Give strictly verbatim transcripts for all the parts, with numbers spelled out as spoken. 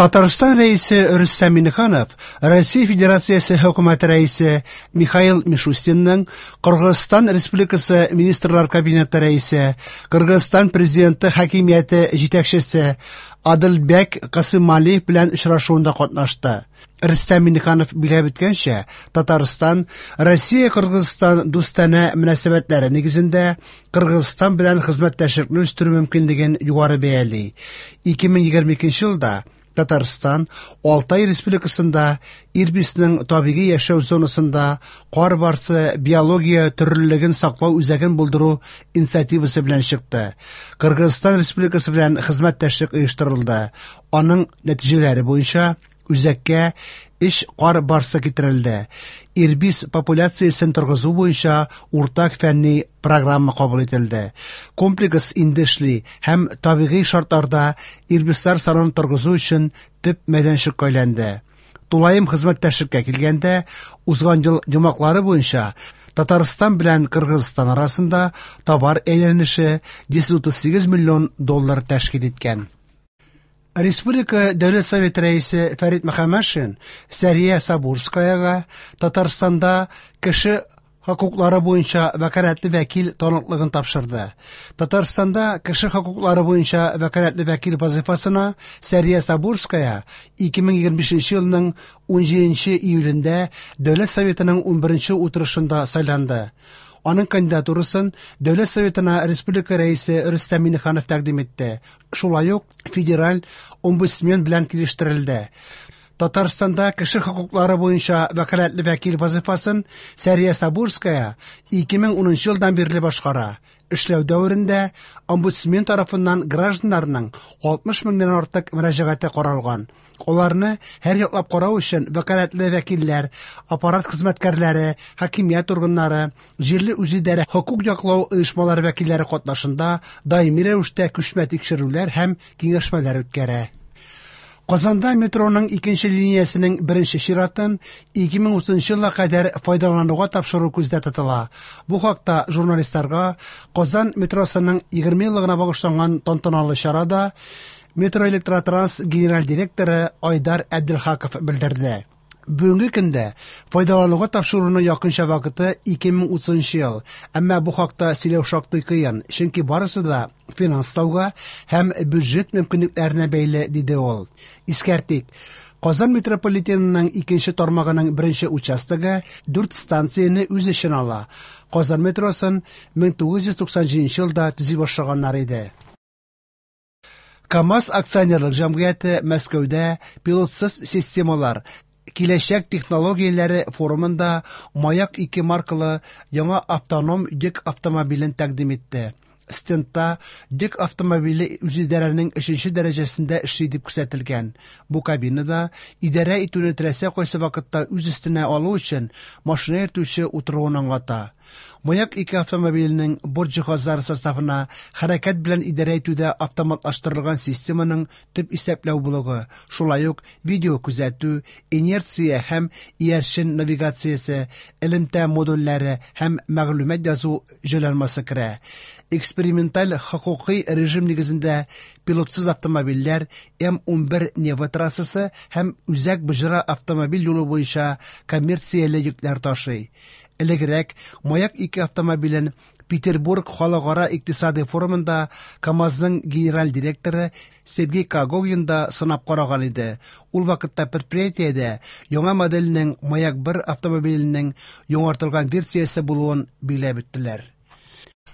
Татарстан Рәисе Рөстәм Миңнеханов Россия Федерациясе Хөкүмәте Рәисе Михаил Мишустинның Кыргызстан Республикасы Министрлар Кабинеты Рәисе, Кыргызстан Президенты хакимияте җитәкчесе Адылбек Касымалиев белән очрашуында катнашты. Рөстәм Миңнеханов билгеләп үткәнчә, Татарстан Россия-Кыргызстан дустанә мөнәсәбәтләре нигезендә Кыргызстан белән хезмәттәшлекне үстерү мөмкинлеген югары бәяли. ике мең егерме икенче елда Татарстан Алтай Республикасында Ирбисның табигый яшәү зонасында кар барсы биология төрлелеген саклау үзәген булдыру инициативасы белән чыкты. Кыргызстан Республикасы белән хезмәттәшлек оештырылды. Аның нәтиҗәләре буенча үзәккә өч кар барсы китерелде. Ирбис популяциясен торгызу буенча уртак фәнни программа кабул ителде. Комплекс инде эшли һәм табигый шартларда ирбислар санын торгызу өчен төп мәйданчыкка әйләнде. Тулаем хезмәттәшлеккә килгәндә, узган ел йомгаклары буенча Татарстан белән Кыргызстан арасында товар әйләнеше йөз утыз сигез миллион доллар тәшкил иткән. Республика Дәүләт Советы рәисе Фәрит Мөхәммәтшин Сәрия Сабурскаяга Татарстанда кеше хокуклары буенча вәкаләтле вәкил таныклыгын тапшырды. Татарстанда кеше хокуклары буенча вәкаләтле вәкил вазифасына Сәрия Сабурская ике мең егерме бишенче елның унҗиденче июлендә Дәүләт Советының унберенче утырышында сайланды. Аның кандидатурасын Дәүләт Советына Республика Рәисе Рөстәм Миңнеханов тәкъдим итте. Шулай ук федераль омбудсмен белән килештерелде. Татарстанда кеше хокуклары буенча вәкаләтле вәкил вазифасын Сәрия Сабурская ике мең унынчы елдан бирле башкара. Эшләү дәверендә омбудсмен тарафыннан гражданнарның алтмыш меңнән артык мөрәҗәгате каралган. Аларны һәр яклап карау өчен вәкаләтле вәкилләр, аппарат хезмәткәрләре, хакимият органнары, җирле үзидарә хокук яклау оешмалары вәкилләре катнашында даими рәвештә күчмә тикшерүләр һәм киңәшмәләр үткәрә. Казанда метроның икенче линиясенең беренче чиратын ике мең утызынчы елга кадәр файдалануга тапшыру күздә тотыла. Бу хакта журналистларга Казан метросының егерме еллыгына багышланган тантаналы чарада Метроэлектротранс генераль директоры Айдар Әбделхаков белдерде. Бүгенге көндә файдалануга тапшыруның якынча вакыты ике мең утызынчы ел. Әмма бу хакта сөйләү шактый кыен, чөнки барысы да финанслауга һәм бюджет мөмкинлекләренә бәйле, диде ул. Искәртик, Казан метрополитенының икенче тармагының беренче участогы дүрт станцияне үз эченә ала. Казан метросын мең тугыз йөз туксан җиденче елда төзи башлаганнар иде. КАМАЗ акционерлык җәмгыяте Мәскәүдә пилотсыз системалар киләчәк технологияләре форумында Маяк ике маркалы яңа автоном йөк автомобилен тәкъдим итте. Стендта йөк автомобиле үзидарәнең өченче дәрәҗәсендә эшли дип күрсәтелгән. Бу кабинада идарә итүне теләсә кайсы вакытта үз өстенә алу өчен машина йөртүче утыруын аңлата. Маяк ике автомобиленең борт җиһазлары составына хәрәкәт белән идарә итүдә автоматлаштырылган системаның төп исәпләү блогы, шулай ук видео күзәтү, инерция һәм иярчен навигациясе, элемтә модульләре һәм мәгълүмат язу җайланмасы керә. Эксперименталь хокукый режим нигезендә пилотсыз автомобильләр М унбер Нева трассасы һәм Үзәк Боҗра автомобиль юлы буенча коммерцияле йөкләр ташый. Элегрәк Маяк ике автомобилен Петербург халыкара икътисади форумында КАМАЗның генераль директоры Сергей Когогин да сынап караган иде. Ул вакытта предприятиедә яңа модельнең Маяк бер автомобиленең яңартылган версиясе булуын билгеләп үттеләр.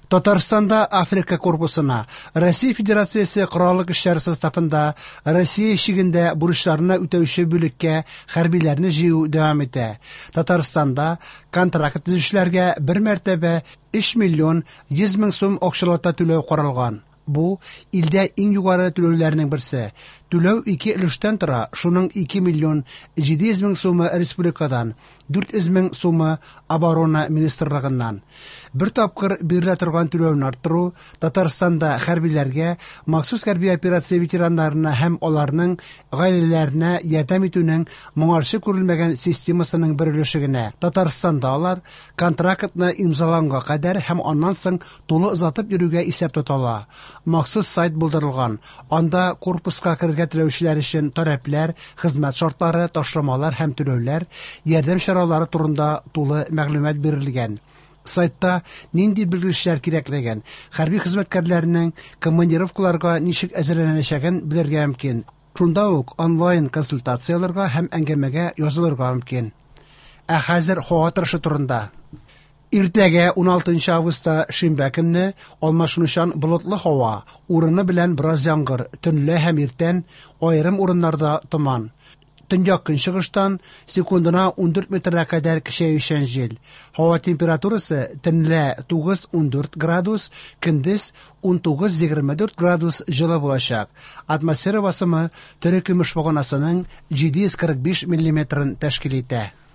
Татарстанда Африка корпусына Россия Федерациясе Кораллы Көчләре составында Россия чигендә бурычларны үтәүче бүлеккә хәрбиләрне җыю дәвам итә. Татарстанда контракт төзүчеләргә бер мәртәбә өч миллион йөз мең сум акчалата түләү каралган. Бу илдә иң югары түләүләрнең берсе. Түләү ике өлештән тора, шуның ике миллион җиде йөз мең сумы республикадан, дүрт йөз мең сумы оборона министрлыгыннан. Бер тапкыр бирелә торган түләүне арттыру Татарстанда хәрбиләргә, махсус хәрби операция ветераннарына һәм аларның гаиләләренә ярдәм итүнең моңарчы күрелмәгән системасының бер өлеше генә. Татарстанда алар контрактны имзаланга кадәр һәм аннан соң тулы озатып йөрүгә исәп тотала. махсус сайт булдырылган. Анда корпуска керергә теләүчеләр өчен таләпләр, хезмәт шартлары, ташламалар һәм түләүләр, ярдәм чаралары турында тулы мәгълүмат бирелгән. Сайтта нинди белгечләр кирәклеген, хәрби хезмәткәрләрнең командировкаларга ничек әзерләнәчәген белергә мөмкин. Шунда ук онлайн консультацияләргә һәм әңгәмәгә язылырга мөмкин. Ә хәзер һава торышы турында. Иртәгә уналтынчы августта шимбә көнне алмашынучан болытлы һава, урыны белән бераз яңгыр, төнлә һәм иртән аерым урыннарда томан. Төньяк көнчыгыштан секундына ундүрт метрга кадәр көчәючән җил. Һава температурасы төнлә тугыз-ундүрт градус, көндез унтугыз-егерме дүрт градус җылы булачак. Атмосфера басымы терекөмеш баганасының җиде йөз кырык биш миллиметрын тәшкил итә.